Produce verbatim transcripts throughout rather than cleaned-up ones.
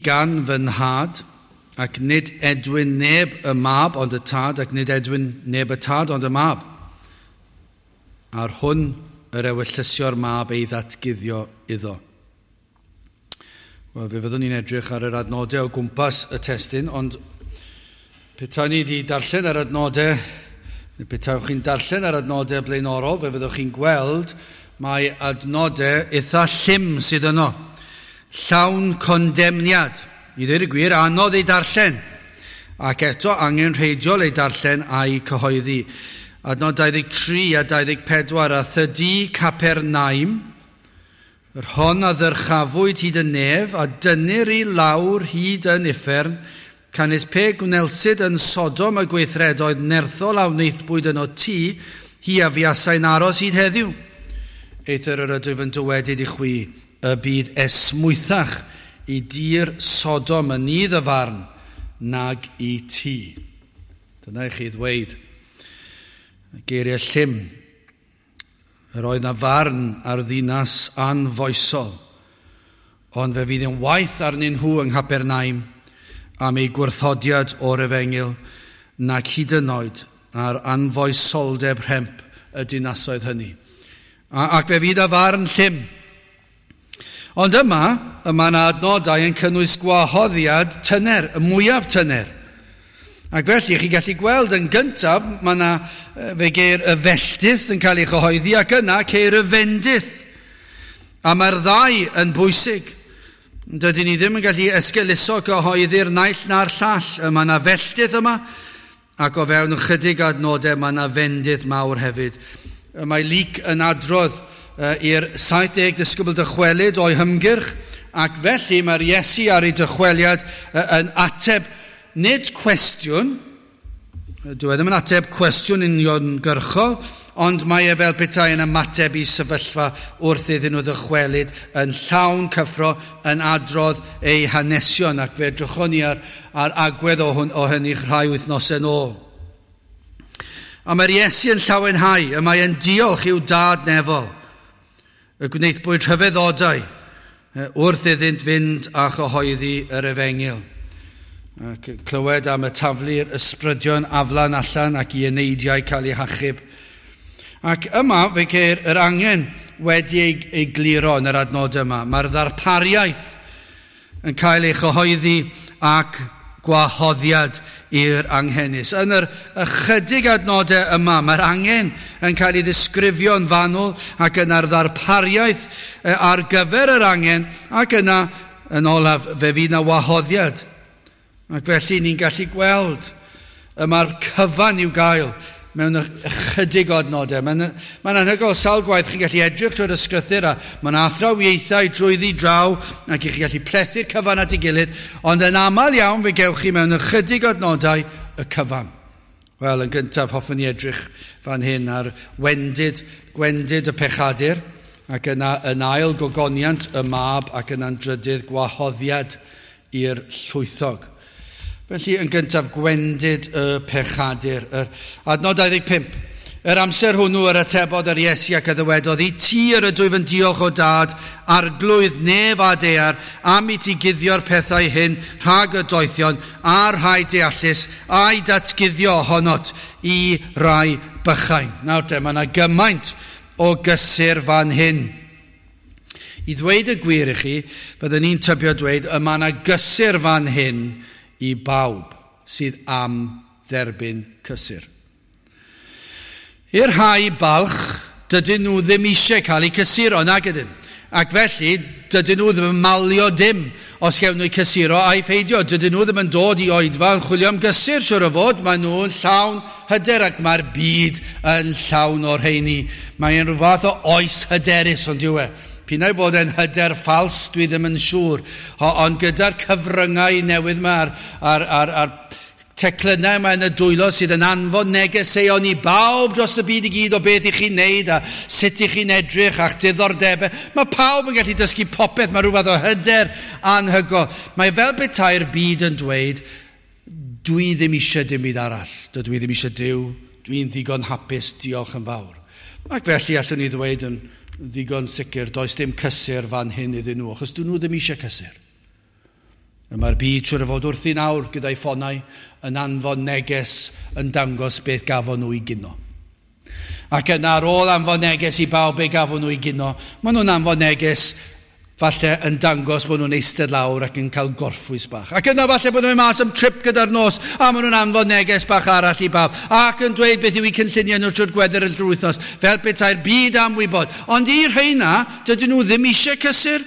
Gan fy nhad, ac nid edwyn neb y mab ond y tad, ac nid edwyn neb y tad ond y mab. A'r hwn yr ewyllysio'r mab ei ddatguddio iddo. Wel, fe fyddwn ni'n edrych ar yr adnodau o gwmpas y testun, ond petai ni wedi darllen yr adnodau, neu petai chi'n darllen yr adnodau blaenorol, fe fyddwch chi'n gweld mae adnodau eitha llym sydd yno. Llawn condemniad. I ddweud y gwir, anodd ei darllen. Ac eto angenrheidiol ei darllen a'i cyhoeddi. Adnod dau ddeg tri a dau ddeg pedwar, a thydi Capernaum, yr hon a ddyrchafwyd hyd y nef, a dynnir i lawr hyd yn uffern, canys pe gwnelsid yn Sodom y gweithredoedd nerthol a wnaethbwyd yno ti, hi a fuasai'n aros hyd heddiw. Eithr yr ydwyf yn dywedyd i chwi, y bydd esmwythach i dir Sodom yn nydd y farn nag i ti. Dyna i chi ddweud. Geiriau llym. Yr oedd na farn ar ddinas anfoesol, ond fe fydd yn waeth arnyn nhw yng Nghapernaum am eu gwrthodiad o'r efengyl nac hyd yn oed ar anfoesoldeb rhemp y dinasoedd hynny. A, ac fe fydd y farn llym. Ond yma, yma yna adnodau yn cynnwys gwahoddiad tyner, y mwyaf tyner. Ac felly, chi'n gallu gweld yn gyntaf, mae yna, fe geir y felltith yn cael ei chyhoeddi, ac yna ceir y fendith. A mae'r ddau yn bwysig. Dydyn ni ddim yn gallu esgeuluso cyhoeddi'r naill na'r llall. Mae yna felltith yma, ac o fewn ychydig adnodau mae yna fendith mawr hefyd. Mae Luc yn adrodd i'r saith deg disgybl dychwelyd o'i hymgyrch, ac felly mae'r Iesu ar ei dychweliad yn ateb nid cwestiwn, dwi ddim yn ateb cwestiwn uniongyrchol, ond mae e fel petai yn ymateb i sefyllfa wrth iddyn nhw ddychwelyd yn llawn cyffro, yn adrodd eu hanesion, ac fe edrychon ni ar, ar agwedd o, hwn, o hynny rhai wythnosau yn ôl. A mae'r Iesu yn llawenhau, y mae e'n diolch i'w dad nefol, y gwnaethpwyd rhyfeddodau wrth iddynt fynd a chyhoeddi yr efengyl. Ac clywed am y taflu'r ysbrydion aflan allan ac i eneidiau cael eu hachub. Ac yma fe ceir yr angen wedi ei, ei gliro yn yr adnod yma. Mae'r ddarpariaeth yn cael ei chyhoeddi ac gwahoddiad i'r anghenus. Yn yr ychydig adnodau yma, mae'r angen yn cael ei ddisgrifio'n fanwl ac yna'r ddarpariaeth ar gyfer yr angen, ac yna, yn olaf, fe fydd yna wahoddiad. Ac felly ni'n gallu gweld y mae'r cyfan i'w gael mewn ychydig o adnodau. Mae'n mae'n anhygoel sawl gwaith chi'n gallu edrych trwy'r ysgrythur a mae'n athrawiaethau drwyddi draw ac chi'n gallu plethu'r cyfan at ei gilydd, ond yn aml iawn fe gewch chi mewn ychydig o adnodau y cyfan. Wel, yn gyntaf hoffwn ni edrych fan hyn ar wendid, gwendid y pechadur, ac yna yn ail gogoniant y mab, ac yna'n drydydd gwahoddiad i'r llwythog. Felly, yn gyntaf, gwendid y pechadur. Yr adnod dau ddeg pump. Yr amser hwnnw yr atebodd yr Iesu ac a ddywedodd, i ti yr ydwyf yn diolch o dad, arglwydd nef a daear, am i ti guddio'r pethau hyn rhag y doethion a'r rhai deallus, a'i datguddio ohonot i rai bychain. Nawr te, mae yna gymaint o gysur fan hyn. I ddweud y gwir i chi, byddwn ni'n tybio dweud, y mae yna gysur fan hyn i bawb sydd am dderbyn cysur. I'r rhai balch, dydyn nhw ddim eisiau cael eu cysuro, nag ydyn. Ac felly, dydyn nhw ddim yn malio dim os gewn nhw eu cysuro a'i pheidio. Dydyn nhw ddim yn dod i oedfa yn chwilio am gysur, siwr o fod. Maen nhw'n llawn hyder ac mae'r byd yn llawn o'r rheini. Mae'n rhyw fath o oes hyderus, ond yw e. P'un ai bod e'n hyder ffals, dwi ddim yn siŵr. Ond gyda'r cyfryngau newydd yma a'r, a'r, a'r, a'r teclynnau yma yn y dwylo sydd yn anfon negeseuon i bawb dros y byd i gyd o beth i chi'n neud a sut i chi'n edrych a'ch diddordebau. Mae pawb yn gallu dysgu popeth, mae rhyw fath o hyder anhygoel. Mae fel petai'r byd yn dweud, dwi ddim eisiau dim byd arall, dydw i ddim eisiau Duw, dwi'n ddigon hapus, diolch yn fawr. Ac felly allwn ni ddweud yn ddigon sicr, does dim cysur fan hyn iddyn nhw, achos dyn nhw ddim eisiau cysur. Mae'r byd siwr o fod wrthi nawr gyda'i ffonau yn anfon neges yn dangos beth gafon nhw i gino. Ac yna ar ôl anfon neges i bawb beth gafon nhw i gino, maen nhw'n anfon neges falle yn dangos bod nhw'n eistedd lawr ac yn cael gorffwys bach. Ac yna falle bod nhw'n mynd mas am trip gyda'r nos a maen nhw'n anfon neges bach arall i bawb ac yn dweud beth yw eu cynlluniau nhw trwy'r gweddill yr wythnos fel petai'r byd am wybod. Ond i'r rheina, dydyn nhw ddim eisiau cysur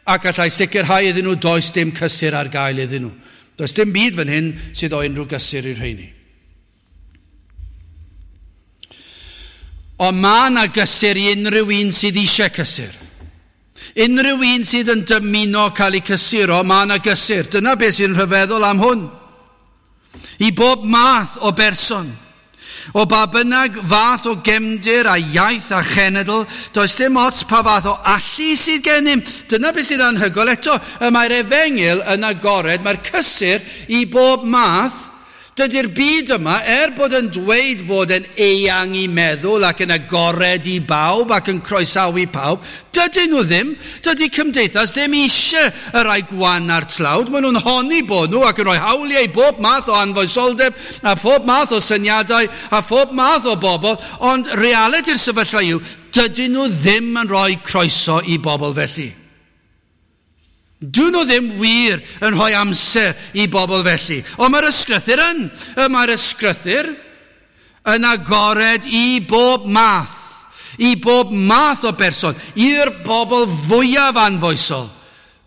ac allai sicrhau iddyn nhw does dim cysur ar gael iddyn nhw. Does dim byd fan hyn sydd o unrhyw gysur i'r rheini. Ond mae yna gysur i unrhyw un sydd eisiau cysur. Unrhyw un sydd yn dymuno cael ei cysuro, mae yna gysur. Dyna beth sy'n rhyfeddol am hwn. I bob math o berson, o ba bynnag fath o gefndir a iaith a chenedl, does dim ots pa fath o allu sydd gennym. Dyna beth sydd anhygoel eto. Y mae'r efengyl yn agored, mae'r cysur i bob math. Dydy'r byd yma, er bod yn dweud fod yn eang i meddwl ac yn agored i bawb ac yn croesawu pawb, dydyn nhw ddim. Dydy cymdeithas ddim eisiau y rhai gwan a'r tlawd. Maen nhw'n honni bod nhw ac yn rhoi hawliau i bob math o anfoesoldeb a phob math o syniadau a phob math o bobl, ond realiti'r sefyllfa yw, dydyn nhw ddim yn rhoi croeso i bobl felly. Dyn nhw ddim wir yn rhoi amser i bobl felly. Ond mae'r ysgrythur yn. Mae'r ysgrythur yn agored i bob math. I bob math o berson. I'r bobl fwyaf anfoesol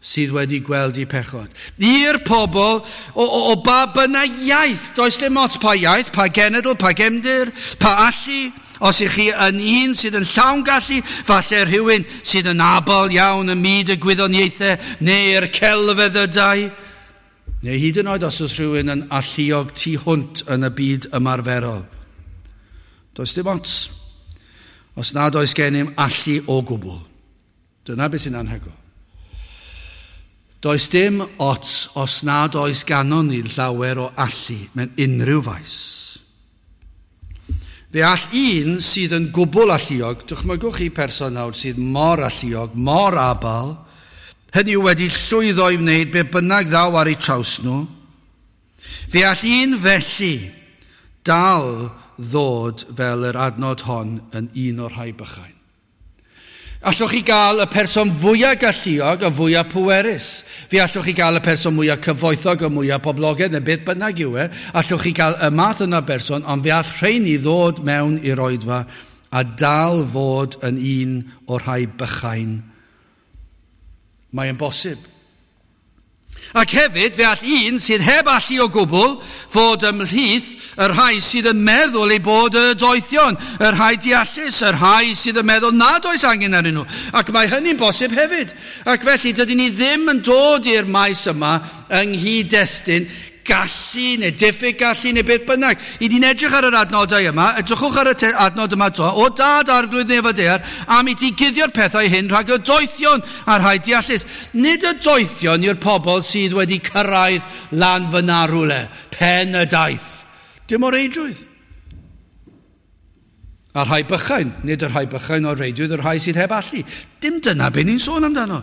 sydd wedi gweld eu pechod. I'r pobl o, o, o ba bynnag iaith. Does dim ots pa iaith, pa genedl, pa gefndir, pa allu. Os ych chi yn un sydd yn llawn gallu, falle rhywun sydd yn abl iawn ym myd y gwyddoniaethau neu'r celfyddydau, neu hyd yn oed os oes rhywun yn alluog tu hwnt yn y byd ymarferol. Does dim ots os nad oes gennym allu o gwbl. Dyna beth sy'n anhygoel. Does dim ots os nad oes ganon ni llawer o allu mewn unrhyw faes. Fe all un sydd yn gwbl alluog, dychmygwch chi person nawr sydd mor alluog, mor abal, hynny yw wedi llwyddo i wneud be bynnag ddaw ar eu traws nhw, fe all un felly dal ddod fel yr adnod hon yn un o'r rhai bychain. Allwch chi gael y person fwyaf galluog a fwyaf pwerus. Fe allwch chi gael y person mwyaf cyfoethog a mwyaf poblogaidd, neu beth bynnag yw e. Allwch chi gael y math yna berson, ond fe all rheini ddod mewn i'r oedfa a dal fod yn un o'r rhai bychain. Mae'n bosib. Ac hefyd, fe all un sydd heb allu o gwbl fod ymhlith y rhai sydd yn meddwl eu bod y doethion, y rhai deallus, y rhai sydd yn meddwl nad oes angen arnyn nhw. Ac mae hynny'n bosib hefyd. Ac felly, dydyn ni ddim yn dod i'r maes yma yng nghyd-destun gallu neu diffyg gallu neu beth bynnag. I ni'n edrych ar yr adnodau yma, edrychwch ar y adnod yma to, o dad arglwydd nef a daear, am i ti guddio'r pethau hyn rhag y doethion a'r rhai deallus. Nid y doethion yw'r pobl sydd wedi cyrraedd lan fyna rhywle, pen y daith. Dim o reidrwydd. A'r rhai bychain, nid y rhai bychain o'r reidrwydd, y rhai sydd heb allu. Dim dyna be ni'n sôn amdano.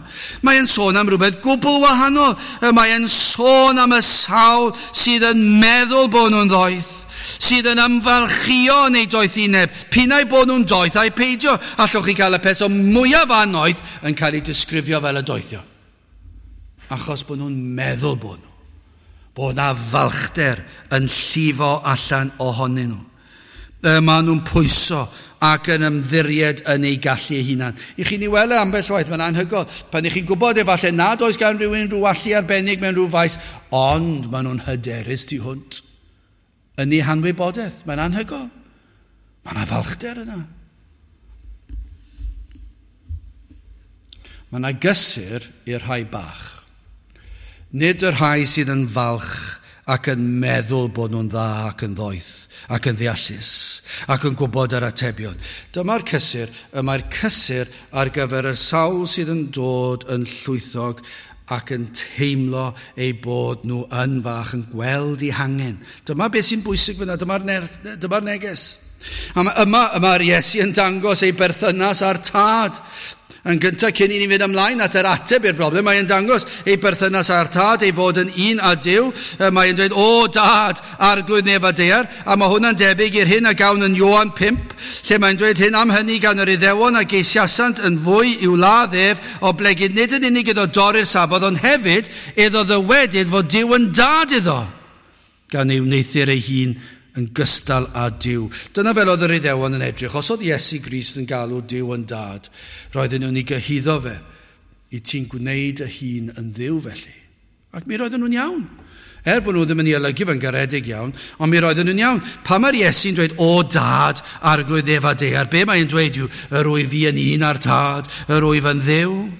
Mae'n sôn am rhywbeth gwbl wahanol. Mae'n sôn am y sawl sydd yn meddwl bod nhw'n ddoeth, sydd yn ymfalchio yn eu doethineb, pinnau bod nhw'n doeth a'i peidio. Allwch chi gael y person mwyaf annoeth yn cael ei disgrifio fel y doethion. Achos bod nhw'n meddwl bod nhw. Bod na falchder yn llifo allan ohonyn nhw. Maen nhw'n pwyso ac yn ymddiried yn eu gallu eu hunan. I chi'n ei weld ambell waith, mae'n anhygoel. Pan i chi'n gwybod efallai nad oes gan rhywun rhyw allu arbennig mewn rhyw faes, ond maen nhw'n hyderus tu hwnt yn eu hanwybodaeth. Mae'n anhygoel. Mae yna falchder yna. Mae yna gysur i'r rhai bach. Nid y rhai sydd yn falch ac yn meddwl bod nhw'n dda ac yn ddoeth ac yn ddeallus ac yn gwybod yr atebion. Dyma'r cysur, y mae'r cysur ar gyfer y sawl sydd yn dod yn llwythog ac yn teimlo eu bod nhw yn fach, yn gweld eu hangen. Dyma beth sy'n bwysig fyna, dyma'r dyma neges. A yma, yma'r Iesu yn dangos ei berthynas â'r tad. Yn gyntaf, cyn i ni fynd ymlaen at yr ateb i'r broblem, mae'n dangos ei berthynas â'r Tad, ei fod yn un â Duw. Mae'n dweud, "O Dad, Arglwydd nef a daear," a mae hwnna'n debyg i'r hyn a gawn yn Ioan pump, lle mae'n dweud hyn: "Am hynny gan yr Iddewon a geisiasant yn fwy i'w ladd ef, oblegid nid yn unig iddo dorri'r Saboth, ond hefyd iddo ddywedyd fod Duw yn dad iddo, gan ei wneuthur ei hun yn gystal â Duw." Dyna fel oedd yr Iddewon yn edrych. Os oedd Iesu Grist yn galw Duw yn dad, roedden nhw'n ei gyhuddo fe. "I ti'n gwneud y hun yn Dduw felly?" Ac mi roedden nhw'n iawn. Er bod nhw ddim yn ei olygu fe'n garedig iawn, ond mi roedden nhw'n iawn. Pan mae'r Iesu'n dweud, "O Dad, Arglwydd nef a daear," be mae'n dweud yw, "Yr wyf fi yn un â'r Tad, yr wyf yn Dduw."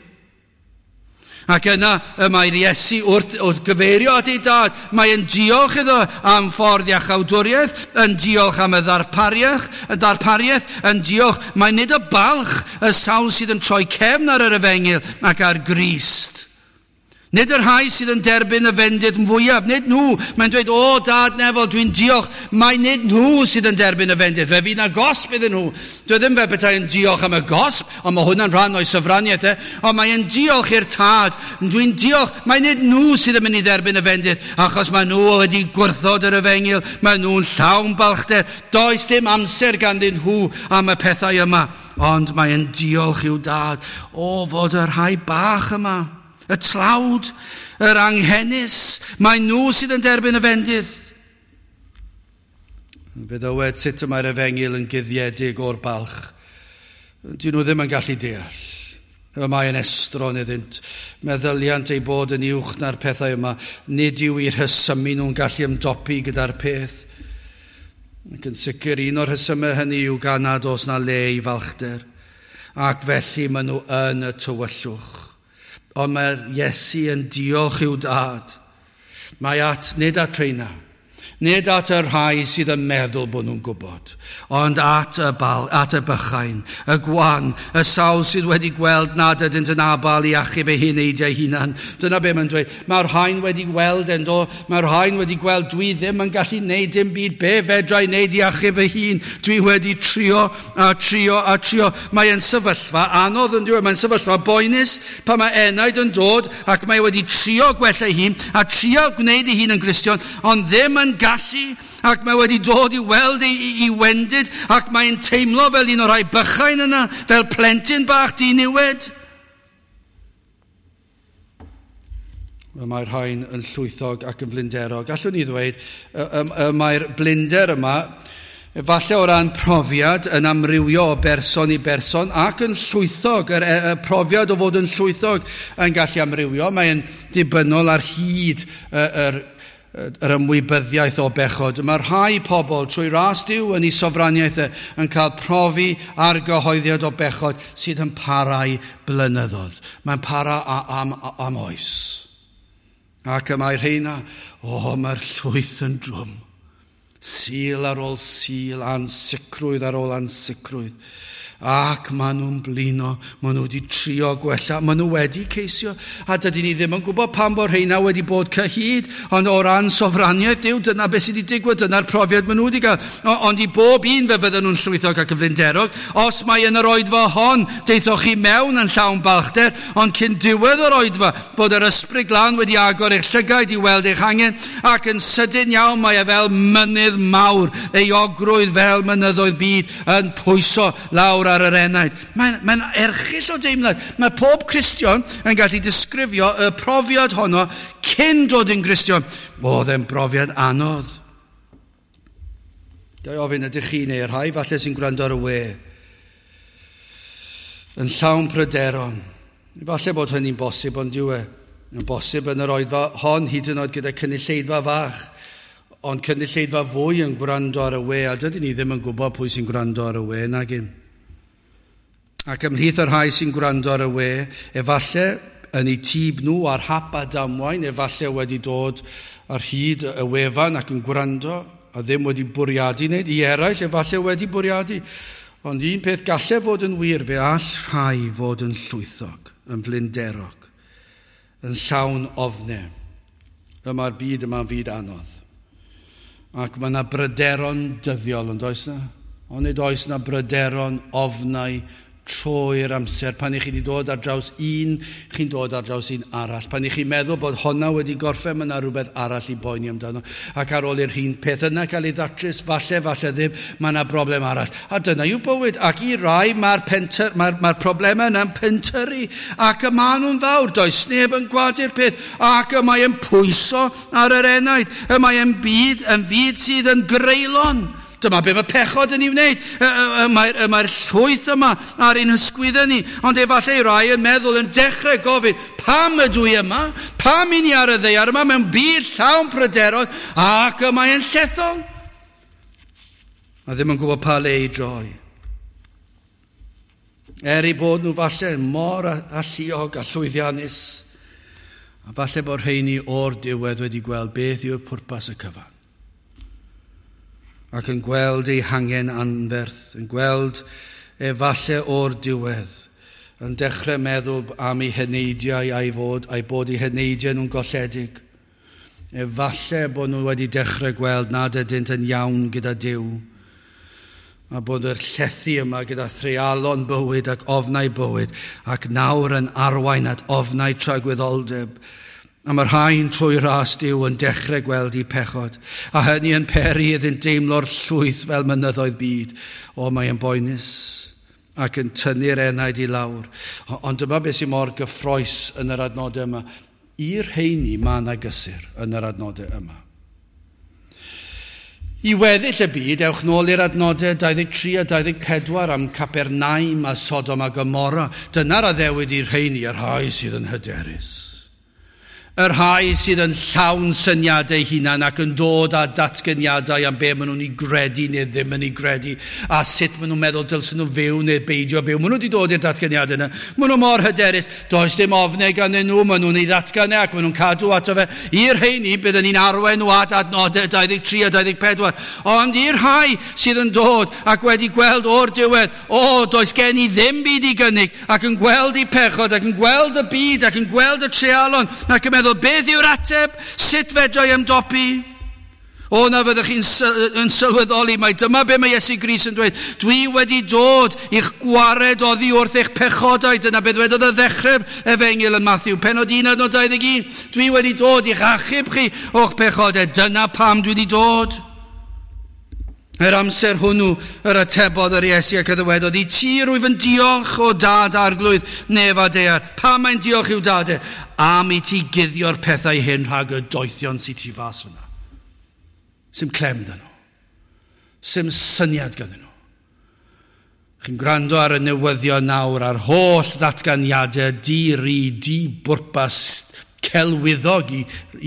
Ac yna y mae'r Iesu wrth, wrth gyfeirio at ei dad, mae'n diolch iddo am ffordd iachawdwriaeth, yn diolch am y ddarpariaeth, y darpariaeth, yn diolch. Mae nid y balch y sawl sydd yn troi cefn ar yr efengyl ac ar Grist. Nid yr rhai sydd yn derbyn y fendith fwyaf, nid nhw. Mae'n dweud, "O Dad nefol, dwi'n diolch." Mae nid nhw sydd yn derbyn y fendith. Fe fydd na gosb iddyn nhw. Dwi ddim fel petai yn diolch am y gosb, ond mae hwnna'n rhan o'i sofraniaeth e. Ond mae'n diolch i'r Tad. "Dwi'n diolch." Mae nid nhw sydd yn mynd i dderbyn y fendith, achos mae nhw wedi gwrthod yr efengyl. Mae nhw'n llawn balchder. Does dim amser ganddyn nhw am y pethau yma. Ond mae'n diolch i'w dad o fod y rhai bach yma, y tlawd, yr anghenus, mae nhw sydd yn derbyn y fendith. Fe ddywed sut y mae'r efengyl yn guddiedig o'r balch. Dyn nhw ddim yn gallu deall. Y mae yn estron iddynt. Meddyliant ei bod yn uwch na'r pethau yma. Nid yw i'r rhesymu nhw'n gallu ymdopi gyda'r peth. Ac yn sicr un o'r rhesymau hynny yw gan nad oes na le i falchder. Ac felly maen nhw yn y tywyllwch. Ond mae'r Iesu yn diolch i'w dad. Mae at, nid at rheina, nid at y rhai sydd yn meddwl bod nhw'n gwybod, ond at y, bal, at y bychain, y gwan, y sawl sydd wedi gweld nad ydynt yn abal i achub eu heneidiau hunan. Dyna be mae'n dweud. Mae'r rhain wedi gweld yn do, mae'r rhain wedi gweld dwi ddim yn gallu neud dim byd, be fedra i wneud i achub fy hun? Dwi wedi trio a trio a trio. Mae'n sefyllfa anodd yn dweud, mae'n sefyllfa boenus pan mae enaid yn dod ac mae wedi trio gwella ei hun a trio gwneud ei hun yn Gristion, ond ddim yn gallu, ac mae wedi dod i weld ei, ei, ei wendid, ac mae'n teimlo fel un o'r rhai bychain yna, fel plentyn bach diniwed. Mae'r rhain yn llwythog ac yn flinderog. Allwn ni ddweud, mae'r blinder yma, efallai o ran profiad, yn amrywio o berson i berson ac yn llwythog, yr, y profiad o fod yn llwythog yn gallu amrywio. Mae'n dibynnol ar hyd yr, yr ymwybyddiaeth o bechod. Mae rhai pobl trwy ras Duw yn ei sofraniaeth yn cael profi argyhoeddiad o bechod sydd yn parau blynyddoedd. Mae'n para am, am oes. Ac y mae rheina, o, mae'r llwyth yn drwm. Sul ar ôl sul, ansicrwydd ar ôl ansicrwydd. Ac maen nhw'n blino, maen nhw wedi trio gwella, maen nhw wedi ceisio. A dydyn ni ddim yn gwybod pam bod rheina wedi bod cyhyd, ond o ran sofraniaeth Duw, dyna beth sydd wedi digwydd, dyna'r profiad maen nhw wedi gael. Ond i bob un fe fydden nhw'n llwythog ac yn flinderog, os mae yn yr oedfa hon, deithoch chi mewn yn llawn balchder, ond cyn diwedd yr oedfa, bod yr Ysbryd Glân wedi agor eich llygaid i weld eich angen, ac yn sydyn iawn mae e fel mynydd mawr, euogrwydd fel mynyddoedd byd yn pwyso lawr ar yr enaid. Mae'n mae erchyll o deimlad. Mae pob Cristion yn gallu disgrifio y profiad honno cyn dod yn Gristion. Oedd e'n brofiad anodd. Ga i ofyn, ydych chi neu'r rhai falle sy'n gwrando ar y we yn llawn pryderon? Falle bod hynny'n bosib, ond dyw e. Yn bosib yn yr oedfa hon, hyd yn oed gyda cynulleidfa fach, ond cynulleidfa fwy yn gwrando ar y we, a dydyn ni ddim yn gwybod pwy sy'n gwrando ar y we, nag un. Ac ymhlith y rhai sy'n gwrando ar y we, efallai yn eu tîb nhw ar hap a damwain, efallai wedi dod ar hyd y wefan ac yn gwrando a ddim wedi bwriadu wneud. I eraill, efallai wedi bwriadu. Ond un peth gallai fod yn wir, fe all rhai fod yn llwythog, yn flinderog, yn llawn ofnau. Y mae'r byd yma'n fyd anodd. Ac mae yna bryderon dyddiol, yn does na? Ond nid oes na bryderon, ofnau, Trwy'r amser, pan i chi wedi dod ar draws un, chi'n dod ar draws un arall. Pan i chi'n meddwl bod honna wedi gorffen, mae yna rhywbeth arall i boeni amdano. Ac ar ôl i'r hun peth yna cael ei ddatrys, falle, falle ddim, mae yna broblem arall. A dyna yw bywyd. Ac i rai mae'r mae'r, mae'r problemau yna'n pentyrru. Ac y maen nhw'n fawr, does neb yn gwadu'r peth. Ac y mae yn pwyso ar yr enaid. Y mae yn byd, yn fyd sydd yn greulon. Dyma be mae pechod yn ei wneud. Mae'r mae llwyth yma ar ein hysgwyddau ni. Ond efallai rai yn meddwl yn dechrau gofyn, pam ydw i yma? Pam i ni ar y ddaear yma mewn byd llawn pryderon ac y mae'n llethol? A ddim yn gwybod pa le i droi. Er ei bod nhw falle mor alluog a llwyddiannus, a falle bod rheini o'r diwedd wedi gweld beth yw'r pwrpas y cyfan. Ac yn gweld ei hangen anferth, yn gweld efalle o'r diwedd, yn dechrau meddwl am ei heneidiau a'i fod, a'i bod ei heneidiau nhw'n golledig. Efalle bod nhw wedi dechrau gweld nad ydynt yn iawn gyda Duw, a bod yr llethu yma gyda threialon bywyd ac ofnau bywyd, ac nawr yn arwain at ofnau tragwyddoldeb. A mae'r rhain trwy ras Duw yn dechrau gweld eu pechod, a hynny yn peri iddynt deimlo'r llwyth fel mynyddoedd byd. O, mae yn boenus ac yn tynnu'r enaid i lawr. Ond dyma beth sy'n mor gyffrous yn yr adnodau yma. I'r rheini mae yna gysur yn yr adnodau yma. I weddill y byd, ewch nôl i'r adnodau dau ddeg tri a dau ddeg pedwar am Capernaum a Sodom a Gomorra. Dyna'r addewid i'r rheini, y rhai sydd yn hyderus. Y rhai sydd yn llawn syniadau hunan ac yn dod â datganiadau am be maen nhw'n ei gredu neu ddim yn ei gredu a sut maen nhw'n meddwl dylsyn nhw fyw neu beidio byw. Maen nhw wedi dod i'r datganiadau yna. Maen nhw mor hyderus. Does dim ofnau gan nhw, maen nhw'n ei ddatgan ac maen nhw'n cadw ato fe. I'r rheini byddwn ni'n arwain nhw at adnodau dau ddeg tri a dau ddeg pedwar. Ond i'r rhai sydd yn dod ac wedi gweld o'r diwedd, o, does gen i ddim byd i gynnig, ac yn gweld eu pechod, ac yn gweld y byd, ac yn gweld y treialon, ac yn meddwl, beth yw'r ateb? Sut fedra i ymdopi? O, na fyddwch chi'n yn sylweddoli mai dyma be mae Iesu Grist yn dweud. Dwi wedi dod i'ch gwared oddi wrth eich pechodau. Dyna beth dwedodd y ddechrau'r efengyl yn Matthew, pennod un adnod dau ddeg un. Dwi wedi dod i'ch achub chi o'ch pechodau. Dyna pam dwi wedi dod. Yr amser hwnnw yr atebodd yr Iesu ac y ddywedodd, i ti rwyf yn diolch o dad arglwydd nef a daear. Pam mae'n diolch i'w dad e? Am i ti guddio'r pethau hyn rhag y doethion sydd tu fas fyna. Sim clem dyn nhw. Sim syniad ganddyn nhw. Chi'n gwrando ar y newyddion nawr a'r holl ddatganiadau di-ri, di-bwrpas, celwyddog i,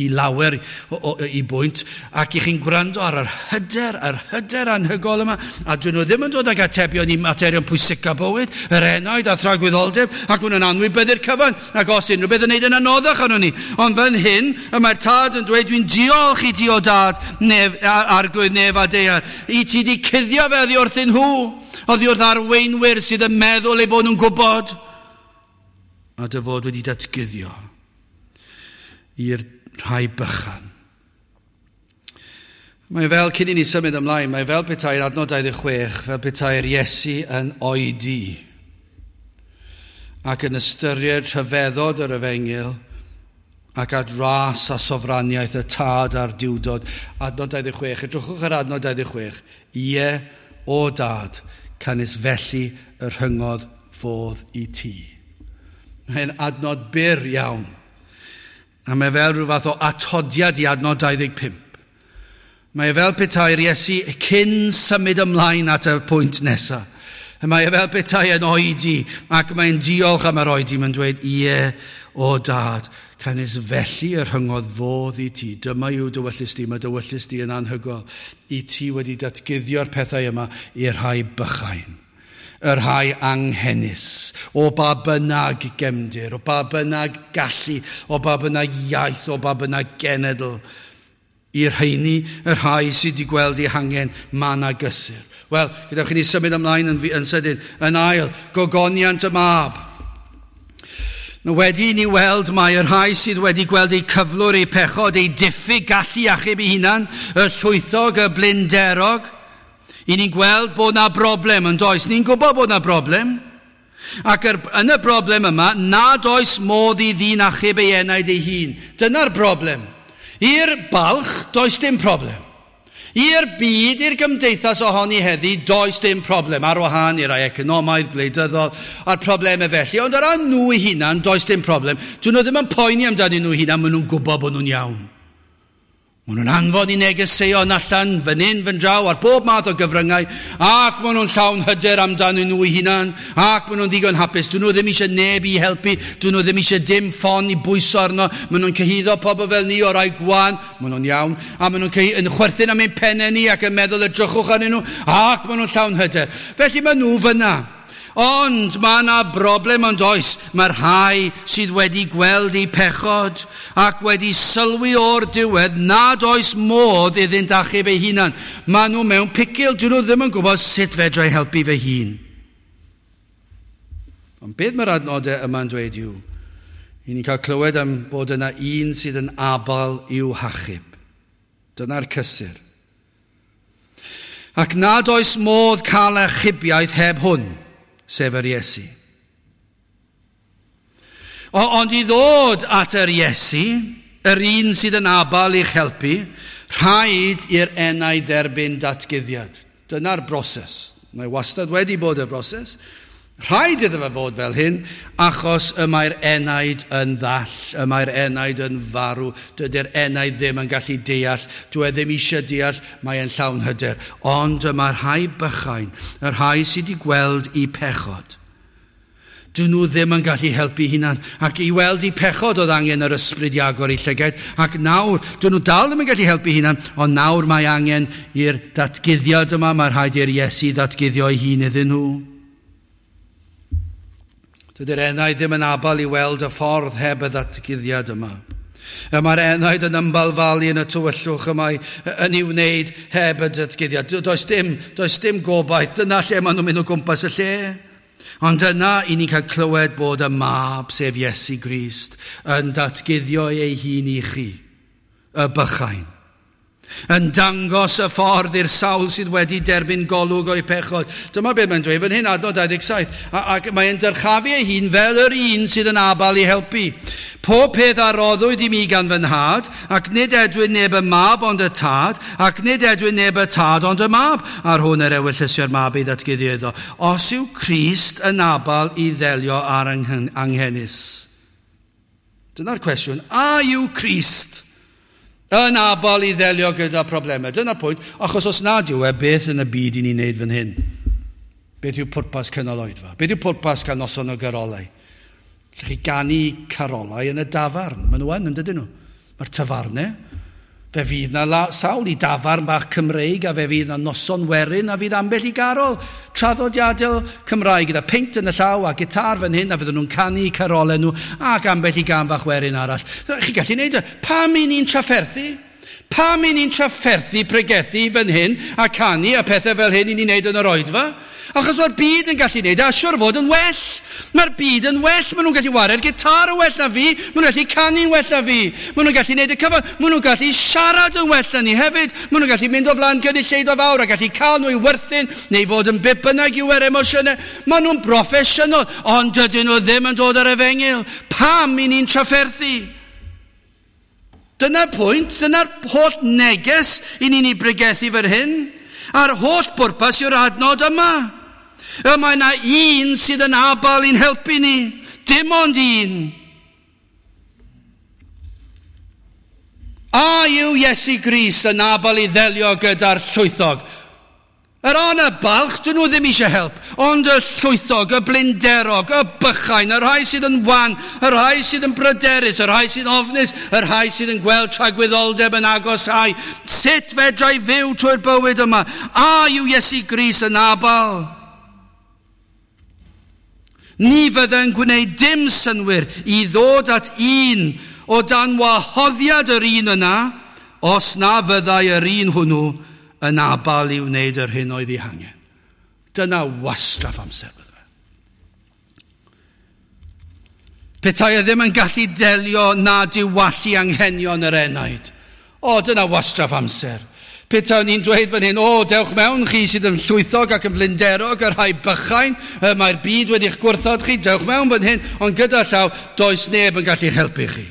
i lawer o, o, i bwynt, ac i chi'n gwrando ar yr hyder, yr hyder anhygol yma, a dyn nhw ddim yn dod ag atebion i materion pwysica bywyd, yr enaid a thragwyddoldeb, ac maen nhw'n anwybyddu'r cyfan, ac os unrhyw beth yn neud yn anoddach arnon ni. Ond fan hyn, y mae'r tad yn dweud, dwi'n diolch i ti o dad, nef, arglwydd nef a daear, i ti di cuddio fe oddi wrthyn nhw, oddi wrth arweinwyr sydd yn meddwl eu bod nhw'n gwybod, a dy fod wedi datguddio i'r rhai bychan. Mae fel, cyn i ni symud ymlaen, mae fel petai'r adnod dau ddeg chwech, fel petai'r Iesu yn oedi ac yn ystyried rhyfeddod yr efengyl ac at ras a sofraniaeth y tad a'r diwdod. Adnod dau ddeg chwech, edrychwch ar adnod dau ddeg chwech. Ie, o dad, canys felly y rhyngodd fodd i ti. Mae'n adnod byr iawn. A mae fel rhyw fath o atodiad i adnod dau ddeg pump. Mae fel petai'r Iesu cyn symud ymlaen at y pwynt nesaf. Mae fel petai yn oedi ac mae'n diolch am yr oedi. Mae'n dweud, ie, o dad, canys felly y rhyngodd fodd i ti. Dyma yw dy ewyllys di, mae dy ewyllys di yn anhygoel. I ti wedi datguddio'r pethau yma i'r rhai bychain, y rhai anghenus, o ba bynnag gefndir, o ba bynnag gallu, o ba bynnag iaith, o ba bynnag genedl. I'r rheini, y rhai sydd wedi gweld eu hangen, mae 'na gysur. Wel, gyda chi ni symud ymlaen yn, yn sydyn. Yn ail, gogoniant y mab. Nawr wedi i ni weld mae y rhai sydd wedi gweld eu cyflwr, eu pechod, eu diffyg gallu achub eu hunan, y llwythog, y blinderog, i ni'n gweld bod na broblem yn does. Ni'n gwybod bod na broblem. Ac er, yn y broblem yma, nad oes modd i ddyn achub ei enaid ei hun. Dyna'r broblem. I'r balch, does dim problem. I'r byd, i'r gymdeithas ohoni heddi, does dim problem. Ar wahân i rai economaidd, gwleidyddol, a'r problemau felly. Ond ar ran nhw eu hunan, does dim problem. Dyn nhw ddim yn poeni amdanyn nhw hunan, maen nhw'n gwybod bod nhw'n iawn. Maen nhw'n anfon i negeseuon allan, fan hyn, fan draw, ar bob math o gyfryngau, ac maen nhw'n llawn hyder amdanyn nhw eu hunan, ac maen nhw'n ddigon hapus. Dyn nhw ddim eisiau neb i helpu, dyn nhw ddim eisiau dim ffon i bwyso arno, maen nhw'n cyhuddo pobl fel ni o rai gwan, maen nhw'n iawn, a maen nhw'n yn chwerthin am ein pennau ni ac yn meddwl edrychwch arnyn nhw, ac maen nhw'n llawn hyder. Felly maen nhw fyna. Ond mae yna broblem ond oes. Mae'r rhai sydd wedi gweld eu pechod ac wedi sylwi o'r diwedd nad oes modd iddynt achub eu hunan. Maen nhw mewn picil, dyn nhw ddim yn gwybod sut fedra i helpu fy hun. Ond beth mae'r adnodau yma'n dweud yw, i ni'n cael clywed am bod yna un sydd yn abal i'w hachub. Dyna'r cysur. Ac nad oes modd cael achubiaeth heb hwn, sef yr Iesu. O, ond i ddod at yr Iesu, yr un sydd yn abal i'ch helpu, rhaid i'r enaid dderbyn datguddiad. Dyna'r broses. Mae wastad wedi bod y broses. Rhaid iddo fe fod fel hyn, achos y mae'r enaid yn ddall, y mae'r enaid yn farw, dydy'r enaid ddim yn gallu deall, dwi e ddim eisiau deall, mae'n llawn hyder. Ond y mae'r rhai bychain, y rhai sydd wedi gweld eu pechod, dyn nhw ddim yn gallu helpu hunan. Ac i weld eu pechod oedd angen yr ysbryd i agor eu llygaid. Ac nawr, dyn nhw dal ddim yn gallu helpu hunan, ond nawr mae angen i'r datguddiad yma, mae rhaid i'r Iesu ddatguddio ei hun iddyn nhw. Dydy'r enaid ddim yn abal i weld y ffordd heb y ddatguddiad yma. Y mae'r enaid yn ymbalfalu yn y tywyllwch y mae yn ei wneud heb y datguddiad. Does dim, does dim gobaith, dyna lle maen nhw'n mynd o gwmpas y lle. Ond yna, i ni'n cael clywed bod y mab, sef Iesu Grist, yn datguddio ei hun i chi, y bychain. Yn dangos y ffordd i'r sawl sydd wedi derbyn golwg o'i pechod. Dyma beth mae'n dweud fan hyn, adnod dau ddeg saith. Ac mae'n dyrchafu ei hun fel yr un sydd yn abal i helpu. Pob peth a roddwyd i mi gan fy nhad, ac nid edwyn neb y mab ond y tad, ac nid edwyn neb y tad ond y mab, a'r hwn yr ewyllysio'r mab ei ddatguddio iddo. Os yw Crist yn abal i ddelio ar anghenus. Dyna'r cwestiwn. A yw Crist yn abal i ddelio gyda problemau? Dyna'r pwynt, achos os nad yw e, beth yn y byd i ni'n neud fan hyn? Beth yw pwrpas cynnal oedfa? Beth yw pwrpas cael noson o garolau? Allwch chi ganu carolau yn y dafarn. Maen nhw yn, yn dydyn nhw? Mae'r tafarnau. Fe fydd na la, sawl i dafarn bach Cymreig, a fe fydd na noson werin, a fydd ambell i garol traddodiadol Cymraeg gyda peint yn y llaw a gitar fan hyn, a fydden nhw'n canu carolau nhw, ac ambell i gan fach werin arall. Chi'n gallu neud e. Pam i ni'n trafferthu? Pam i ni'n trafferthu pregethu fan hyn a canu a pethau fel hyn i ni'n neud yn yr oedfa? Achos mae'r byd yn gallu neud, a siwr fod yn well. Mae'r byd yn well, maen nhw'n gallu ware'r gitar yn well na fi, maen nhw'n gallu canu'n well na fi, maen nhw'n gallu neud y cyfan, maen nhw'n gallu siarad yn well na ni hefyd, maen nhw'n gallu mynd o flaen gynulleidfa fawr a gallu cael nhw i werthin, neu fod yn beth bynnag yw yr emosiynau. Maen nhw'n broffesiynol, ond dydyn nhw ddim yn dod ar efengyl. Pam i ni'n trafferthu? Dyna'r pwynt, dyna'r holl neges i ni'n ei bregethu fan hyn. A'r holl bwrpas yw'r adnod yma. Y mae yna un sydd yn abal i'n helpu ni. Dim ond un. A yw Iesu Grist yn abal i ddelio gyda'r llwythog? Yr an y balch, dyn nhw ddim eisiau help, ond y llwythog, y blinderog, y bychain, y rhai sydd yn wan, y rhai sydd yn bryderus, y rhai sydd yn ofnus, y rhai sydd yn gweld tragwyddoldeb yn agosáu. Sut fedra i fyw trwy'r bywyd yma? A yw Iesu Grist yn abal? Ni fydde'n gwneud dim synnwyr i ddod at un o dan wahoddiad yr un yna, os na fyddai yr un hwnnw yn abal i wneud yr hyn oedd ei hangen. Dyna wastraff amser bydde fe. Petai e ddim yn gallu delio na diwallu anghenion yr enaid. O, dyna wastraff amser. Petawn ni'n dweud fan hyn, o, dewch mewn chi sydd yn llwythog ac yn flinderog, y rhai bychain, mae'r byd wedi'ch gwrthod chi, dewch mewn fan hyn, ond gyda llaw, does neb yn gallu helpu chi.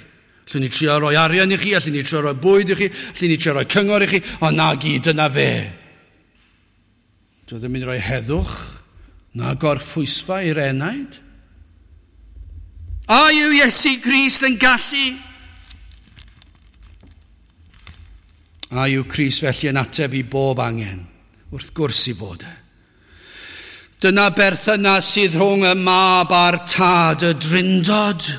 Allwn ni trio rhoi arian i chi, allwn ni trio rhoi bwyd i chi, allwn ni trio rhoi cyngor i chi, ond na gyd, dyna fe. Dwi ddim yn rhoi heddwch na gorffwysfa i'r enaid. A yw Iesu Grist yn gallu? A yw Crist felly yn ateb i bob angen? Wrth gwrs i fod e. Dyna berthynas sydd rhwng y mab a'r tad, y drindod.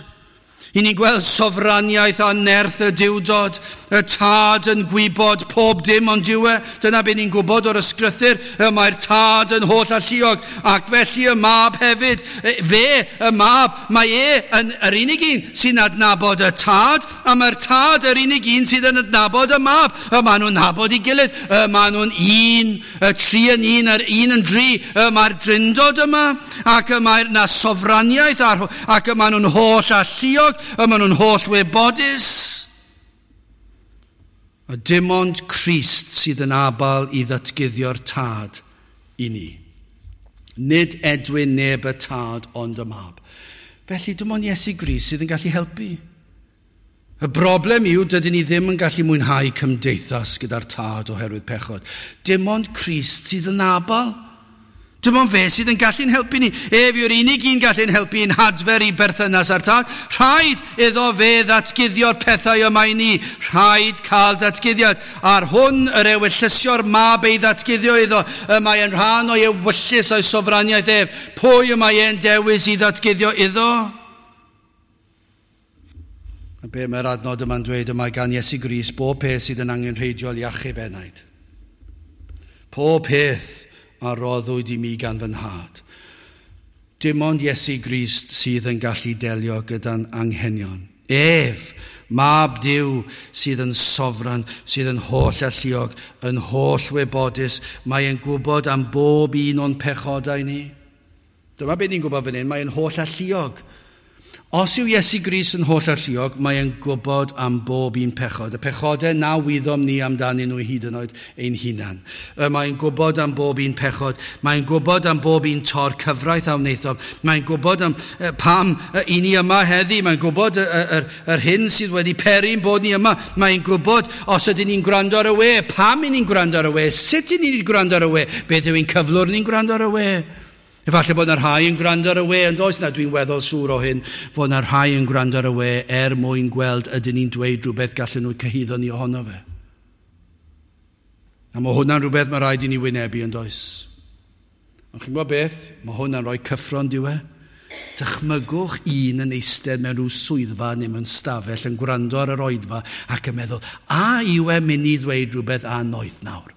I ni'n gweld sofraniaeth a nerth y diwdod, y tad yn gwybod pob dim ond yw e. Dyna be ni'n gwybod o'r ysgrythur, y mae'r tad yn holl alluog, ac felly y mab hefyd, fe, y mab, mae e yn yr unig un sy'n adnabod y tad, a mae'r tad yr unig un sydd yn adnabod y mab. Y maen nhw'n nabod ei gilydd, y maen nhw'n un, y tri yn un, yr un yn dri, y mae'r drindod yma, ac y mae'r na sofraniaeth, ac y maen nhw'n holl alluog, y maen nhw'n holl wybodus. A dim ond Crist sydd yn abal i ddatguddio'r tad i ni. Nid edwyn neb y tad ond y mab. Felly dim ond Iesu Grist sydd yn gallu helpu. Y broblem yw dydyn ni ddim yn gallu mwynhau cymdeithas gyda'r tad oherwydd pechod. Dim ond Crist sydd yn abal. Dim ond fe sydd yn gallu'n helpu ni. Ef yw'r unig un gallu'n helpu i'n hadfer i berthynas â'r tad. Rhaid iddo fe ddatguddio'r pethau yma i ni. Rhaid cael datguddiad. Ar hwn yr ewyllysio'r mab ei ddatguddio iddo. Y mae yn rhan o'i ewyllys o'i sofraniaeth ef. Pwy y mae e'n dewis i ddatguddio iddo? A be mae'r adnod yma'n dweud, y mae gan Iesu Grist bob peth sydd yn angenrheidiol i achub enaid. Pob peth a roddwyd i mi gan fy nhad. Dim ond Iesu Grist sydd yn gallu delio gyda'n anghenion. Ef, mab Duw, sydd yn sofran, sydd yn holl alluog, yn holl wybodus, mae e'n gwybod am bob un o'n pechodau ni. Dyma beth ni'n gwybod fan hyn, mae e'n holl alluog. Os yw Iesu Grist yn holl alluog, mae e'n gwybod am bob un pechod. Y pechodau na wyddom ni amdanyn nhw hyd yn oed ein hunan. Mae'n gwybod am bob un pechod. Mae'n gwybod am bob un tor cyfraith a wnaethom. Mae'n gwybod am pam i ni yma heddi. Mae'n gwybod yr, yr, yr hyn sydd wedi peri'n bod ni yma. Mae'n gwybod os ydyn ni'n gwrando ar y we, pam i ni'n gwrando ar y we, sut i ni'n gwrando ar y we, beth yw ein cyflwr ni'n gwrando ar y we. Efallai bod yna rhai yn gwrando ar y we, ond oes na, dwi'n weddol siŵr o hyn, fod yna rhai yn gwrando ar y we er mwyn gweld ydyn ni'n dweud rhywbeth gallen nhw cyhuddo ni ohono fe. A mae hwnna'n rhywbeth mae rhaid i ni wynebu, yn does? Ond chi'n gwybod beth? Mae hwnna'n rhoi cyffro'n diw e. Dychmygwch un yn eistedd mewn rhyw swyddfa neu mewn stafell yn gwrando ar yr oedfa ac yn meddwl, a yw e mynd i ddweud rhywbeth annoeth nawr?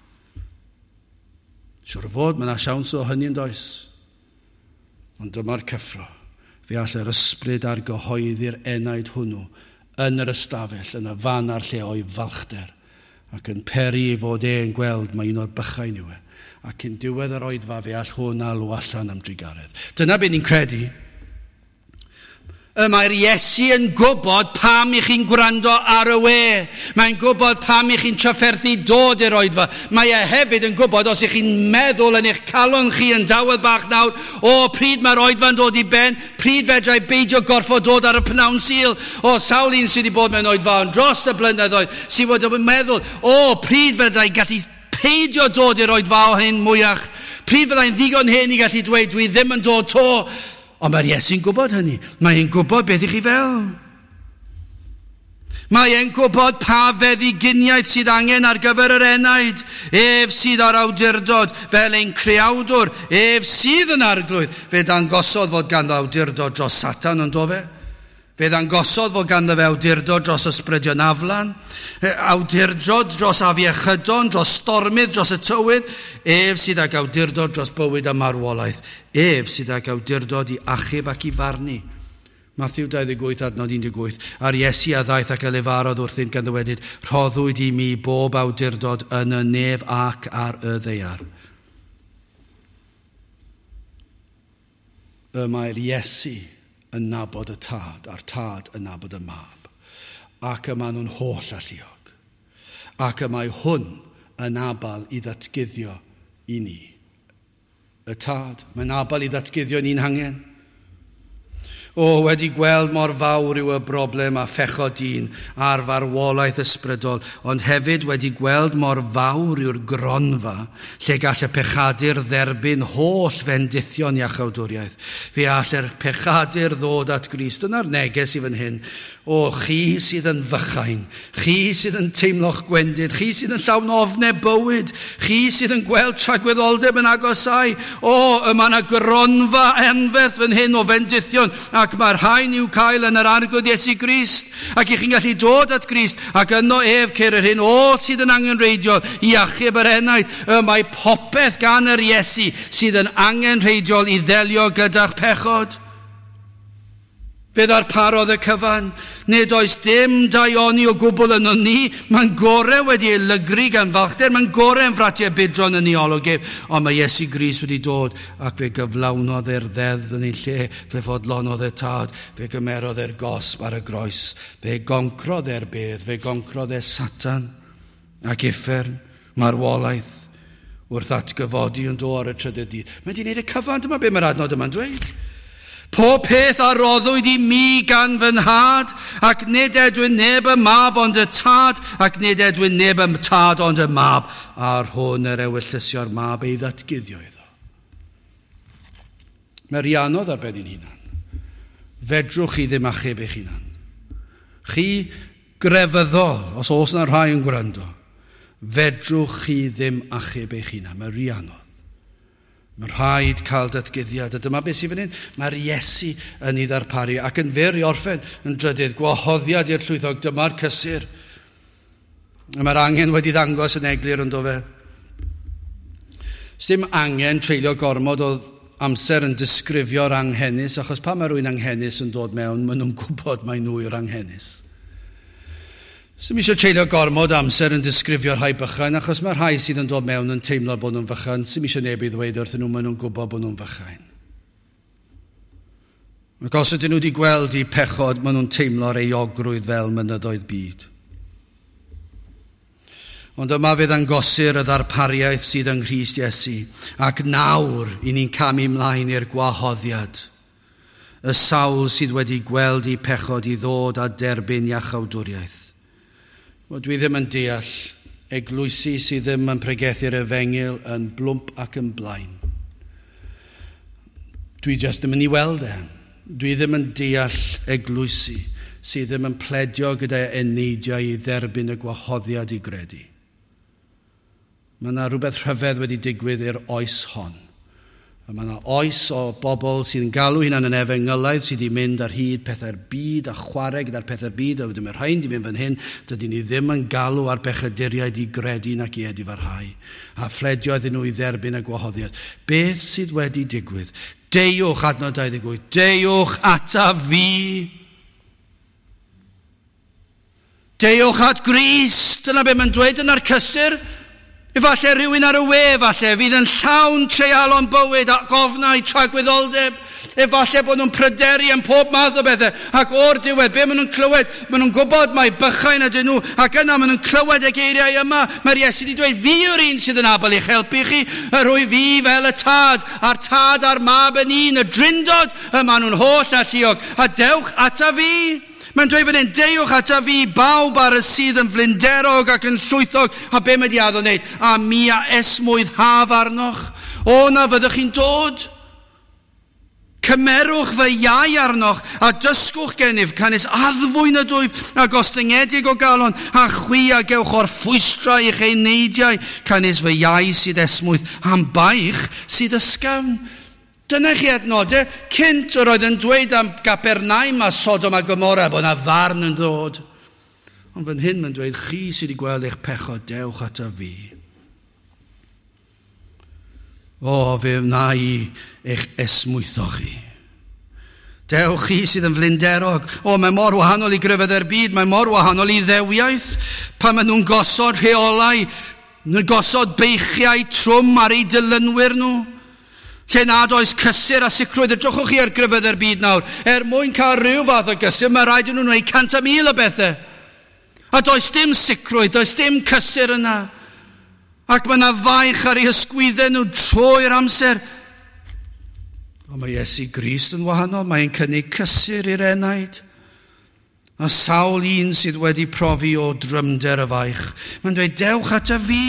Siŵr o fod, mae yna siawns o hynny, yn does? Ond dyma'r cyffro. Fe all yr ysbryd ar gyhoeddi'r enaid hwnnw yn yr ystafell, yn y fan a'r lle o'i falchder, ac yn peri ei fod e'n gweld mae un o'r bychain yw e. Ac yn diwedd yr oedfa fe all hwn alw allan am drugaredd. Dyna beth ni'n credu. Y mae'r Iesu yn gwybod pam i chi'n gwrando ar y we. Mae'n gwybod pam i chi'n trafferthu dod i'r oedfa. Mae e hefyd yn gwybod os i chi'n meddwl yn eich calon chi yn dawel bach nawr, o, pryd mae'r oedfa'n dod i ben, pryd fedrai beidio gorfod dod ar y pnawn Sul. O, sawl un sydd wedi bod mewn oedfa ond dros y blynyddoedd sydd wedi bod yn meddwl, o, pryd fedrai gallu peidio dod i'r oedfa o hyn mwyach. Pryd fyddai'n ddigon hyn i gallu dweud, dwi ddim yn dod to. Ond mae'r Iesu'n gwybod hynny. Mae'n gwybod beth i chi fel. Mae e'n gwybod pa feddyginiaeth sydd angen ar gyfer yr enaid. Ef sydd ar awdurdod fel ein creawdwr. Ef sydd yn arglwydd. Fe ddangosodd fod ganddo awdurdod dros Satan, ond do fe? Fe ddangosodd fod ganddo fe awdurdod dros ysbrydion aflan, awdurdod dros afiechydon, dros stormydd, dros y tywydd. Ef sydd ag awdurdod dros bywyd a marwolaeth. Ef sydd ag awdurdod i achub ac i farnu. Matthew dau ddeg wyth adnod un deg wyth. A'r Iesu a ddaeth ac a lefarodd wrthynt gan ddywedyd, rhoddwyd i mi bob awdurdod yn y nef ac ar y ddaear. Y mae'r Iesu yn nabod y tad, a'r tad yn nabod y mab. Ac y maen nhw'n holl alluog. Ac y mae hwn yn abal i ddatguddio i ni. Y tad, mae'n abal i ddatguddio ni'n hangen. O, wedi gweld mor fawr yw y broblem a phechod dyn a'r farwolaeth ysbrydol, ond hefyd wedi gweld mor fawr yw'r gronfa lle gall y pechadur dderbyn holl fendithion iachawdwriaeth. Fe all yr pechadur ddod at Grist. Dyna'r neges i fan hyn. O, chi sydd yn fychain, chi sydd yn teimlo'ch gwendid, chi sydd yn llawn ofnau bywyd, chi sydd yn gweld tragwyddoldeb yn agosau. O, y mae yna gronfa anferth fan hyn o fendithion, ac mae'r rhain i'w cael yn yr Arglwydd Iesu Grist. Ac i chi'n gallu dod at Grist, ac yno ef ceir yr hyn oll sydd yn angenrheidiol i achub yr enaid. Y mae popeth gan yr Iesu sydd yn angenrheidiol i ddelio gyda'ch pechod. Fe ddarparodd y cyfan. Nid oes dim daioni o gwbl yno ni. Mae'n gorau wedi ei lygru gan falchder. Mae'n gorau yn fratiau budron yn ei olwg ef. Ond mae Iesu Grist wedi dod ac fe gyflawnodd e'r ddeddf yn ei lle. Fe fodlonodd y tad. Fe gymerodd e'r gosb ar y groes. Fe goncrodd e'r bedd. Fe goncrodd e Satan ac uffern, marwolaeth, wrth atgyfodi yn do ar y trydydd dydd. Mae wedi gwneud y cyfan. Dyma be mae'r adnod yma'n dweud. Pob peth a roddwyd i mi gan fy nhad, ac nid edwyn neb y mab ond y tad, ac nid edwyn neb y tad ond y mab, a'r hwn yr ewyllysio'r mab ei ddatguddio iddo. Mae rhy anodd ar ben ein hunan. Fedrwch chi ddim achub eich hunan. Chi grefyddol, os oes yna rhai yn gwrando, fedrwch chi ddim achub eich hunan. Mae rhy anodd. Mae rhaid cael datguddiad, a dyma beth sydd fan hyn. Mae'r Iesu yn ei ddarparu, ac yn fyr i orffen yn drydydd, gwahoddiad i'r llwythog, dyma'r cysur. Mae'r angen wedi ddangos yn eglur yn do fe. Sdim angen treulio gormod o amser yn disgrifio'r anghenus, achos pan mae rhywun anghenus yn dod mewn, maen nhw'n gwybod mai nhw yw'r anghenus. Sdim eisiau treulio gormod amser yn disgrifio'r rhai bychain, achos mae rhai sydd yn dod mewn yn teimlo bod nhw'n fychan. Sdim eisiau neb i ddweud wrthyn nhw, maen nhw'n gwybod bod nhw'n fychain. Ac os ydyn nhw wedi gweld eu pechod, maen nhw'n teimlo'r euogrwydd fel mynyddoedd byd. Ond yma fe ddangosir y ddarpariaeth sydd yng Nghrist Iesu, ac nawr i ni'n camu ymlaen i'r gwahoddiad. Y sawl sydd wedi gweld eu pechod i ddod a derbyn iachawdwriaeth. Wel, dwi ddim yn deall eglwysi sydd ddim yn pregethu'r efengyl yn blwmp ac yn blaen. Dwi jyst ddim yn ei weld e. Dwi ddim yn deall eglwysi sydd ddim yn pledio gyda eneidiau i dderbyn y gwahoddiad i gredu. Mae yna rhywbeth rhyfedd wedi digwydd i'r oes hon. Mae yna oes o bobl sydd yn galw hunan yn efengylaidd sydd wedi mynd ar hyd pethau'r byd a chwarae gyda'r pethau'r byd, a wedyn mae'r rhain wedi mynd fan hyn, dydyn ni ddim yn galw ar bechaduriaid i gredu nac i edifarhau, a phledio iddyn nhw i dderbyn y gwahoddiad. Beth sydd wedi digwydd? Deuwch, adnod dau ddeg wyth, deuwch ata fi. Deuwch at Grist, dyna be mae'n dweud yna'r cysur. Efallai rhywun ar y we, falle, fydd yn llawn treialon bywyd a gofnau tragwyddoldeb. Efallai bod nhw'n pryderu am pob math o bethau. Ac o'r diwedd, be maen nhw'n clywed? Maen nhw'n gwybod mai bychain ydyn nhw. Ac yna maen nhw'n clywed y geiriau yma. Mae'r Iesu wedi dweud, fi yw'r un sydd yn abl i'ch helpu chi. Yr wyf fi fel y tad, a'r tad a'r mab yn un, y drindod, y maen nhw'n holl alluog. A dewch ata fi. Mae'n dweud fan hyn, deuwch ata fi bawb ar y sydd yn flinderog ac yn llwythog, a be mae di addo wneud? A mi a esmwythaf arnoch. O, na fyddwch chi'n dod. Cymerwch fy iau arnoch a dysgwch gennyf, canys addfwyn ydwyf a gostyngedig o galon, a chwi a gewch o'r ffwystra i'ch eneidiau, canys fy iau sydd esmwyth am baich sydd ysgafn. Dyna chi adnodau, cynt yr oedd yn dweud am Gapernaum a Sodom a Gomorra bod yna farn yn dod. Ond fan hyn mae'n dweud, chi sydd wedi gweld eich pechod, dewch ata fi. O, fe wna i eich esmwytho chi. Dewch chi sydd yn flinderog. O, mae mor wahanol i grefyddau'r byd, mae mor wahanol i ddewiaeth. Pan maen nhw'n gosod rheolau, nhw'n gosod beichiau trwm ar eu dilynwyr nhw. Lle nad oes cysur a sicrwydd, edrychwch chi ar grefyddau'r byd nawr. Er mwyn cael rhyw fath o gysur, mae rhaid i nhw wneud cant a mil o bethau. A does dim sicrwydd, does dim cysur yna. Ac mae yna faich ar eu hysgwyddau nhw trwy'r amser. Ond mae Iesu Grist yn wahanol, mae'n cynnig cysur i'r enaid. A sawl un sydd wedi profi o drymder y faich. Mae'n dweud, dewch ata fi.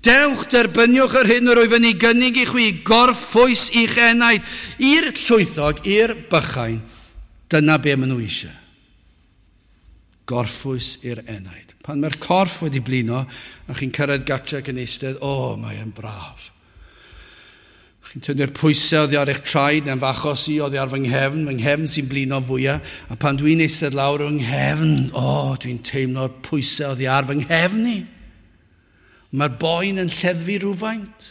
Dewch, derbyniwch yr hyn yr wyf yn ei gynnig i chwi, gorffwys i'ch enaid. I'r llwythog, i'r bychain, dyna be maen nhw eisiau. Gorffwys i'r enaid. Pan mae'r corff wedi blino, a chi'n cyrraedd gatre ac yn eistedd, o, oh, mae'n braf. Chi'n tynnu'r pwysau oddi ar eich traed, neu'n fachos i oddi ar fy nghefn, fy nghefn sy'n blino fwyaf, a pan dwi'n eistedd lawr yng nghefn, o, oh, dwi'n teimlo'r pwysau oddi ar fy nghefn i. Mae'r boen yn lleddfu rhywfaint.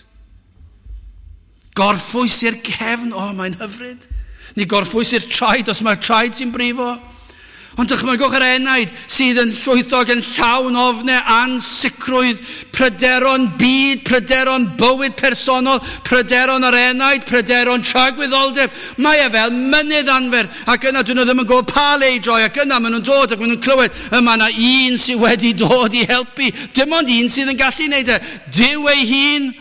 Gorffwys i'r cefn, o, oh, mae'n hyfryd. Ni gorffwys i'r traed os mae'r traed sy'n brifo. Ond dychmygwch yr enaid sydd yn llwythog yn llawn ofnau, ansicrwydd, pryderon byd, pryderon bywyd personol, pryderon yr enaid, pryderon tragwyddoldeb. Mae e fel mynydd anferth, ac yna dyn nhw ddim yn gwybod pa le i droi, ac yna maen nhw'n dod ac maen nhw'n clywed, yma yna un sydd wedi dod i helpu. Dim ond un sydd yn gallu wneud e. Duw ei hun.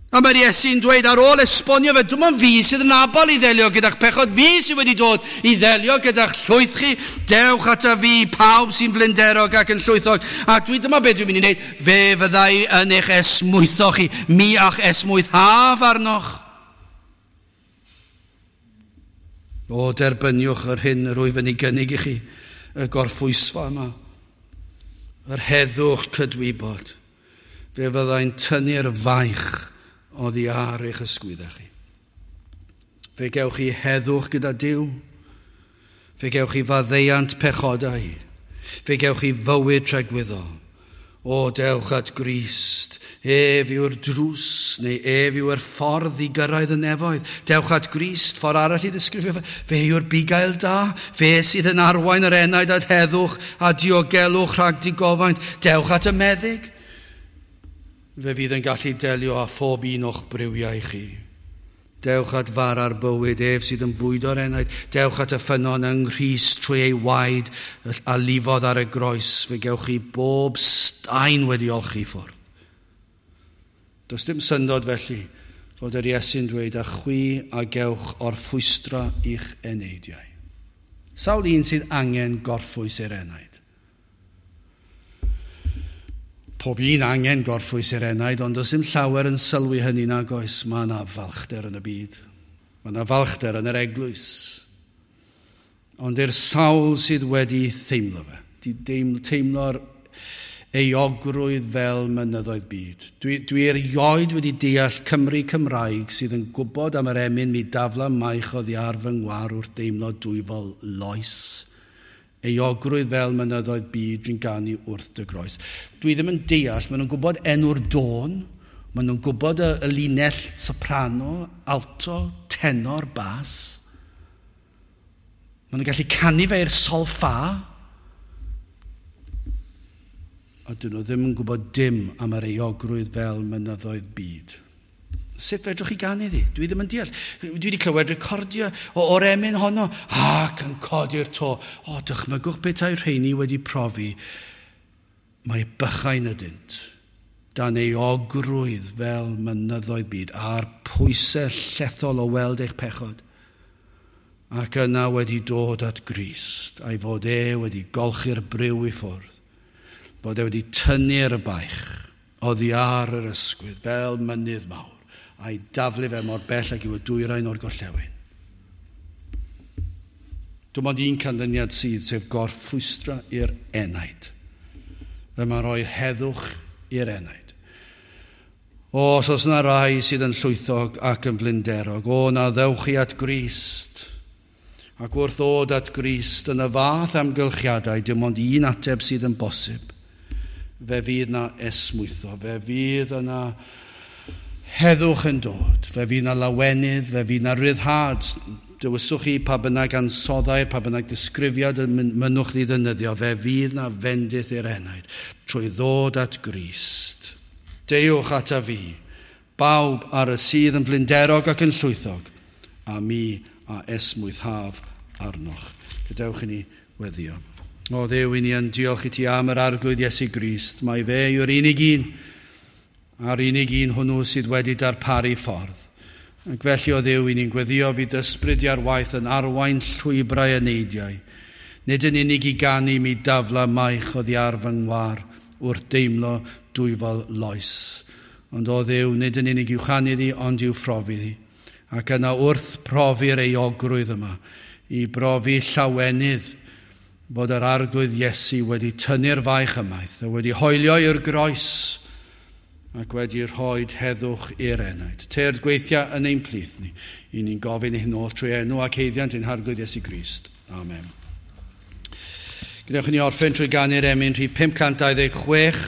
A mae'r Iesu'n dweud ar ôl esbonio fe, dim ond fi sydd yn abal i ddelio gyda'ch pechod, fi sydd wedi dod i ddelio gyda'ch llwyth chi, dewch ata fi, pawb sy'n flinderog ac yn llwythog. A dwi, dyma beth dwi'n mynd i wneud, fe fyddai yn eich esmwytho chi, mi a'ch esmwythaf arnoch. O, derbyniwch yr hyn yr wyf yn ei gynnig i chi, y gorffwysfa yma, yr heddwch cydwybod, fe fyddai'n tynnu'r faich oddi ar eich ysgwyddau chi. Fe gewch chi heddwch gyda Duw. Fe gewch chi faddeuant pechodau. Fe gewch chi fywyd tragwyddol. O, dewch at Grist. Ef yw'r drws, neu ef yw'r ffordd i gyrraedd y nefoedd. Dewch at Grist, ffordd arall i ddisgrifio fe. Fe yw'r bugail da. Fe sydd yn arwain yr enaid at heddwch a diogelwch rhag digofaint. Dewch at y meddyg. Fe fydd yn gallu delio â phob un o'ch briwiau chi. Dewch at fara'r bywyd, ef sydd yn bwydo'r enaid. Dewch at y ffynnon yng Nghrist trwy ei waed a lifodd ar y groes. Fe gewch chi bob staen wedi olchi ffwrdd. Does dim syndod felly fod yr Iesu'n dweud, a chwi a gewch orffwystra i'ch eneidiau. Sawl un sydd angen gorffwys i'r enaid? Pob un angen gorffwys i'r enaid, ond does dim llawer yn sylwi hynny nag oes. Mae yna falchder yn y byd. Mae yna falchder yn yr eglwys. Ond i'r sawl sydd wedi theimlo fe, di teimlo'r euogrwydd fel mynyddoedd byd. Dwi, dwi erioed wedi deall Cymru Cymraeg sydd yn gwybod am yr emyn mi dafla maich oddi ar fy ngwar wrth deimlo dwyfol loes. Euogrwydd fel mynyddoedd byd dwi'n ganu wrth dy groes. Dwi ddim yn deall, maen nhw'n gwybod enw'r dôn, maen nhw'n gwybod y, y linell soprano, alto, tenor, bas. Maen nhw'n gallu canu fe i'r sol ffa. A dyn nhw ddim yn gwybod dim am yr euogrwydd fel mynyddoedd byd. Sut fedrwch chi ganu iddi? Dwi ddim yn deall. Dwi wedi clywed recordio o, o'r emyn honno ac yn codi'r to. O, dychmygwch petai rheini wedi profi. Mae bychain ydynt dan euogrwydd fel mynyddoedd byd a'r pwysau llethol o weld eich pechod. Ac yna wedi dod at Grist a'i fod e wedi golchi'r briw i ffwrdd. Bod e wedi tynnu'r baich oddi ar yr ysgwydd fel mynydd mawr a'i daflu fe mor bell ag yw y dwyrain o'r gorllewin. Dim ond un canlyniad sydd, sef gorffwystra i'r enaid. Fe mae'n rhoi heddwch i'r enaid. O, os oes yna rai sydd yn llwythog ac yn flinderog, o, na ddewch chi at Grist. Ac wrth ddod at Grist yn y fath amgylchiadau, dim ond un ateb sydd yn bosib. Fe fydd na esmwytho, fe fydd yna heddwch yn dod, fe fydd na lawenydd, fe fydd na ryddhad. Dewiswch chi pa bynnag ansoddau, pa bynnag disgrifiad y mynnwch chi ddefnyddio, fe fydd na fendith i'r enaid trwy ddod at Grist. Deuwch ata fi, bawb ar y sydd yn flinderog ac yn llwythog, a mi a esmwythaf arnoch. Gadewch i ni weddio. O Dduw, i ni yn diolch i ti am yr Arglwydd Iesu Grist. Mae fe yw'r unig un, a'r unig un hwnnw sydd wedi darparu ffordd. Ac felly o Dduw, i ni'n gweddio fydd ysbryd ar waith yn arwain llwybrau eneidiau. Nid yn unig i ganu mi dafla maich oddi ar fy ngwar wrth deimlo dwyfol loes. Ond o Dduw, nid yn unig i'w chanu ddi, ond i'w phrofi ddi. Ac yna wrth profi'r euogrwydd yma, i brofi llawenydd fod yr Arglwydd Iesu wedi tynnu'r faich ymaith, a wedi hoelio i'r groes ac wedi rhoi heddwch i'r enaid. Tyrd gweithia yn ein plith ni. I ni'n gofyn i hyn oll trwy enw ac haeddiant ein Harglwydd Iesu Grist. Amen. Gwnewch i ni orffen trwy ganu'r emyn rhif pum cant dau ddeg chwech.